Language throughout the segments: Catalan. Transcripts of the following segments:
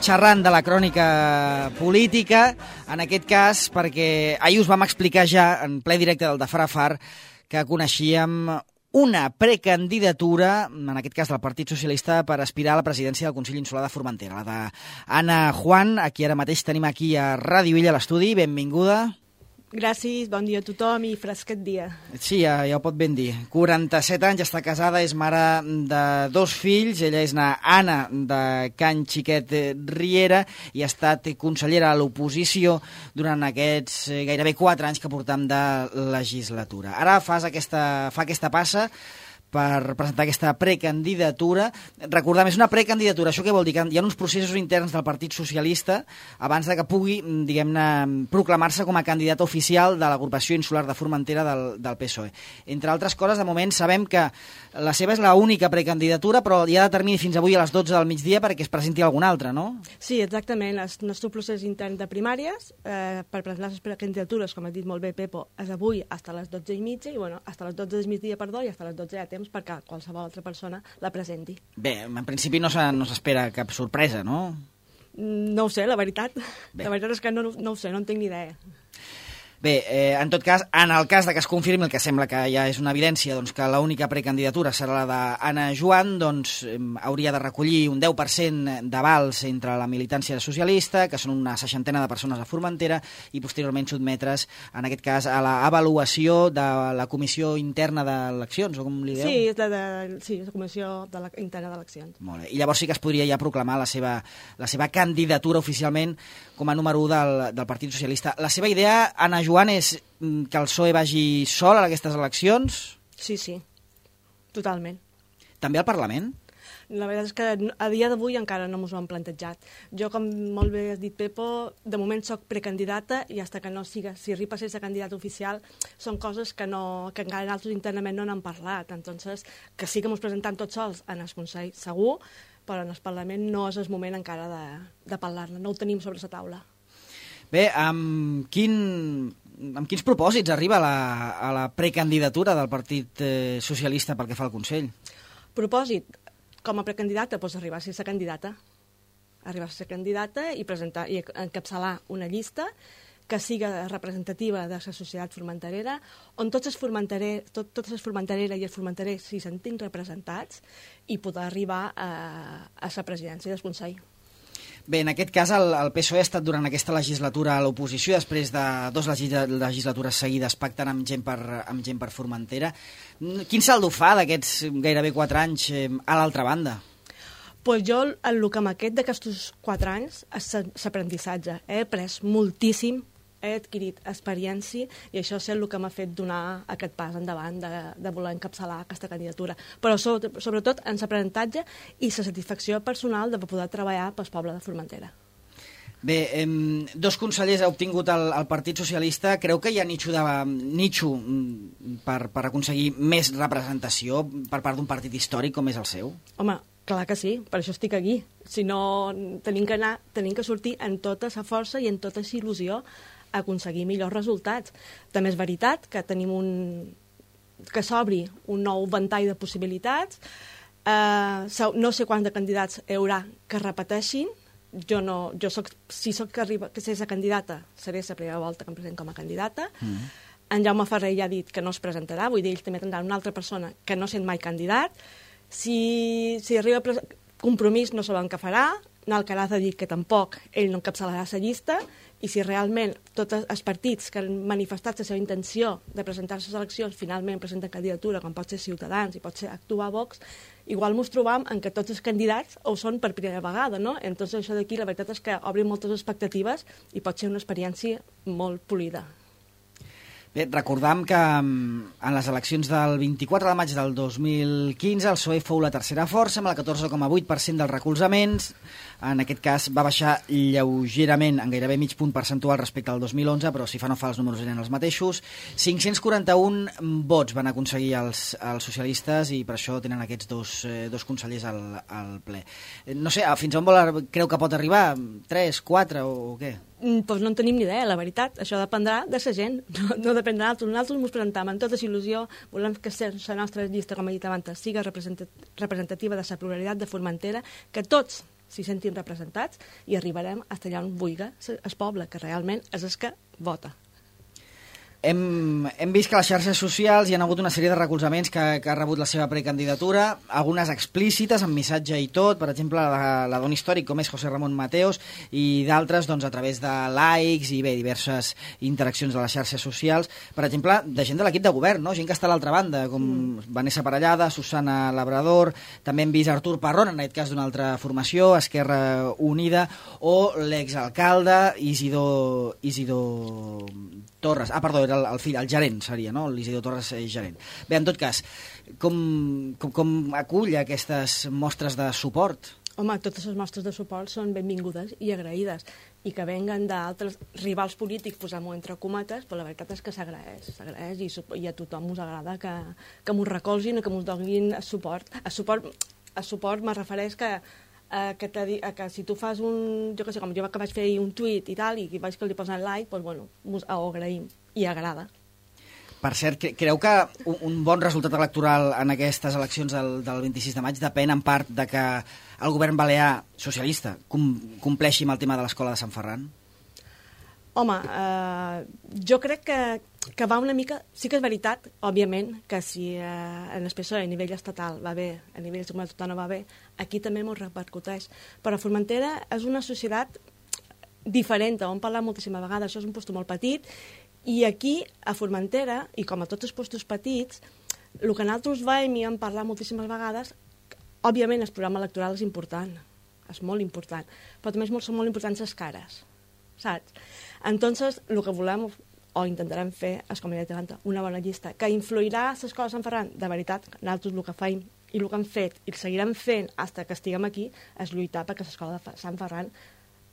xerrant de la crònica política, en aquest cas perquè ahir us vam explicar ja en ple directe del de Farafar que coneixíem una precandidatura, en aquest cas del Partit Socialista, per aspirar a la presidència del Consell Insular de Formentera, la d'Anna Juan, a qui ara mateix tenim aquí a Ràdio Illa, a l'estudi. Benvinguda. Gràcies, bon dia a tothom i fresquet dia. Sí, ja ho pot ben dir. 47 anys, està casada, és mare de 2 fills. Ella és Anna de Can Xiquet Riera i ha estat consellera a l'oposició durant aquests gairebé 4 anys que portam de legislatura. Ara fa aquesta passa per presentar aquesta precandidatura. Recordem, és una precandidatura. Això què vol dir? Que hi ha uns processos interns del Partit Socialista abans de que pugui, diguem-ne, proclamar-se com a candidata oficial de l'agrupació insular de Formentera del PSOE. Entre altres coses, de moment sabem que la seva és l'única precandidatura, però hi ha de termini fins avui a les 12 del migdia perquè es presenti alguna altra, no? Sí, exactament. El nostre procés intern de primàries per presentar les precandidatures, com ha dit molt bé Pepo, és avui fins a les 12:30 i, bueno, fins a les 12 del migdia, perdó, i fins a les 12 de temps perquè qualsevol altra persona la presenti. Bé, en principi no s'espera cap sorpresa, no? No ho sé, la veritat. Bé. La veritat és que no ho sé, no en tinc ni idea. Bé, en tot cas, en el cas de que es confirmi, el que sembla que ja és una evidència, doncs, que l'única precandidatura serà la d'Anna Juan, doncs hauria de recollir un 10% d'avals entre la militància socialista, que són una 60ena de persones a Formentera, i posteriorment sotmetre's, en aquest cas, a l'avaluació de la Comissió Interna d'Eleccions, o com li dieu? Sí, és la Comissió Interna d'Eleccions. Molt bé. I llavors sí que es podria ja proclamar la seva candidatura oficialment com a número 1 del Partit Socialista. La seva idea, Anna Juan, és que el PSOE vagi sol a aquestes eleccions? Sí, totalment. També al Parlament? La veritat és que a dia d'avui encara no m'ho han plantejat. Jo, com molt bé has dit, Pepo, de moment soc precandidata i fins que no siga, si arriba a ser candidata oficial, són coses que encara nosaltres internament no n'han parlat. Entonces, que sí que ens presentem tots sols en el Consell, segur, però en el Parlament no és el moment encara de parlar-ne, no ho tenim sobre la taula. Bé, amb quins propòsits arriba a la precandidatura del Partit Socialista pel que fa al Consell? Propòsit, com a precandidata, doncs arribar a ser candidata. Arribar a ser candidata i presentar i encapçalar una llista que siga representativa de la societat formenterera, on tots els formentereres i els formenterers s'hi sentin representats i poder arribar a la presidència del Consell. Bé, en aquest cas el PSOE ha estat durant aquesta legislatura a l'oposició, després de 2 legislatures seguides pactant amb gent per Formentera. Quin saldo fa d'aquests gairebé 4 anys a l'altra banda? Pues jo, el que m'ha d'aquests 4 anys és l'aprenentissatge. He après moltíssim, he adquirit experiència i això és el que m'ha fet donar aquest pas endavant de voler encapçalar aquesta candidatura. Però sobretot en l'aprenentatge i la satisfacció personal de poder treballar pel poble de Formentera. Bé, 2 consellers ha obtingut el Partit Socialista. Creu que hi ha nitxo per aconseguir més representació per part d'un partit històric com és el seu? Home, clar que sí, per això estic aquí. Si no, tenim que sortir amb tota la força i amb tota la il·lusió a aconseguir millors resultats. També és veritat que tenim que s'obri un nou ventall de possibilitats. No sé quants de candidats hi haurà que repeteixin. Si soc que ser la candidata, seré la primera volta que em present com a candidata. En Jaume Ferrer ja ha dit que no es presentarà, vull dir, ells també tindran una altra persona que no sent mai candidat. Si arriba a Compromís no sabem què farà, Alcaraz ha dit que tampoc ell no encapçalarà la llista, i si realment tots els partits que han manifestat la seva intenció de presentar-se a les eleccions finalment presenten candidatura, com pot ser Ciutadans i pot ser Actuar Vox, igual ens trobam en que tots els candidats ho són per primera vegada, no? Entonces això d'aquí la veritat és que obri moltes expectatives i pot ser una experiència molt polida. Bé, recordam que en les eleccions del 24 de maig del 2015 el PSOE fou la tercera força amb el 14,8% dels recolzaments. En aquest cas va baixar lleugerament en gairebé mig punt percentual respecte al 2011, però si fa no fa els números eren els mateixos. 541 vots van aconseguir els socialistes i per això tenen aquests dos consellers al ple. No sé, fins on creu que pot arribar? 3, 4 o què? Doncs no en tenim ni idea, la veritat. Això dependrà de la gent, no dependrà d'altres. Nosaltres ens presentem amb tota il·lusió, volem que la nostra llista, com he dit abans, siga representativa de la pluralitat de Formentera, que tots s'hi sentin representats i arribarem fins allà on vulgui el poble, que realment és el que vota. Hem vist que a les xarxes socials hi ha hagut una sèrie de recolzaments que ha rebut la seva precandidatura, algunes explícites, amb missatge i tot, per exemple, la dona històric, com és José Ramon Mateos, i d'altres doncs, a través de likes i bé, diverses interaccions a les xarxes socials, per exemple, de gent de l'equip de govern, no? Gent que està a l'altra banda, com Vanessa Parellada, Susana Labrador, també hem vist Artur Parrón, en aquest cas d'una altra formació, Esquerra Unida, o l'exalcalde Isidor Torres. Ah, perdó, era el fill, el gerent seria, no? L'Isidor Torres gerent. Bé, en tot cas, com acull aquestes mostres de suport? Home, totes les mostres de suport són benvingudes i agraïdes, i que venguen d'altres rivals polítics, posem-ho entre cometes, però la veritat és que s'agraeix i a tothom us agrada que m'ho recolzin i que m'ho donin suport. A suport me refereix que si tu fas un, jo què sé, com jo que vaig fer un tuit i tal, i vaig que li posen like, doncs bueno, ho agraïm i agrada. Per cert, creu que un bon resultat electoral en aquestes eleccions del 26 de maig depèn en part de que el govern balear socialista compleixi amb el tema de l'escola de Sant Ferran? Home, jo crec que va una mica... Sí que és veritat, òbviament, que si en el PSOE a nivell estatal va bé, a nivell de comunitat autònoma va bé, aquí també m'ho repercuteix. Però Formentera és una societat diferent, on parlar moltíssimes vegades, això és un lloc molt petit, i aquí, a Formentera, i com a tots els llocs petits, el que nosaltres veiem i hem parlat moltíssimes vegades, òbviament el programa electoral és important, és molt important, però també són molt importants les cares, saps? Entonces, el que volem o intentarem fer és, com ja t'he una bona llista, que influirà a l'escola de Sant Ferran. De veritat, nosaltres el que feim i el que hem fet i el seguirem fent fins que estiguem aquí és lluitar perquè l'escola de Sant Ferran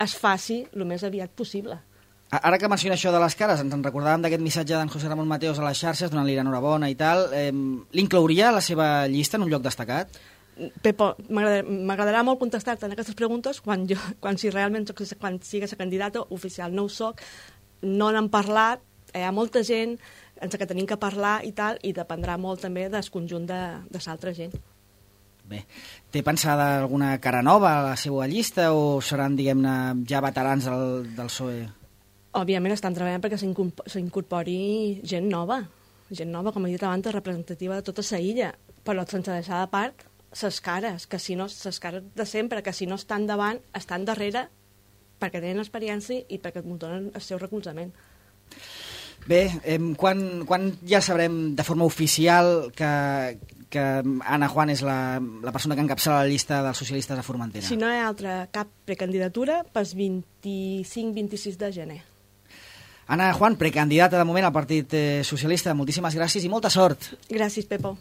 es faci el més aviat possible. Ara que menciona això de les cares, ens en recordàvem d'aquest missatge d'en José Ramon Mateos a les xarxes, donant-li l'enhorabona i tal. L'inclouria a la seva llista en un lloc destacat? Pepo, m'agradarà molt contestar-te en aquestes preguntes quan si realment sigui la candidata oficial. No ho soc, no n'hem parlat, hi ha molta gent ens que tenim que parlar i tal, i dependrà molt també del conjunt de l'altra gent. Bé, té pensada alguna cara nova a la seva llista o seran, diguem-ne, ja veterans del PSOE? Òbviament estan treballant perquè s'incorpori gent nova, com he dit abans, representativa de tota la illa, però sense deixar de part les cares, les cares de sempre, que si no estan davant, estan darrere, perquè tenen experiència i perquè donen el seu recolzament. Bé, quan ja sabrem de forma oficial que Ana Juan és la persona que encapçala la llista dels socialistes a Formentera? Si no hi ha cap precandidatura, pel 25-26 de gener. Ana Juan, precandidata de moment al Partit Socialista, moltíssimes gràcies i molta sort. Gràcies, Pepo.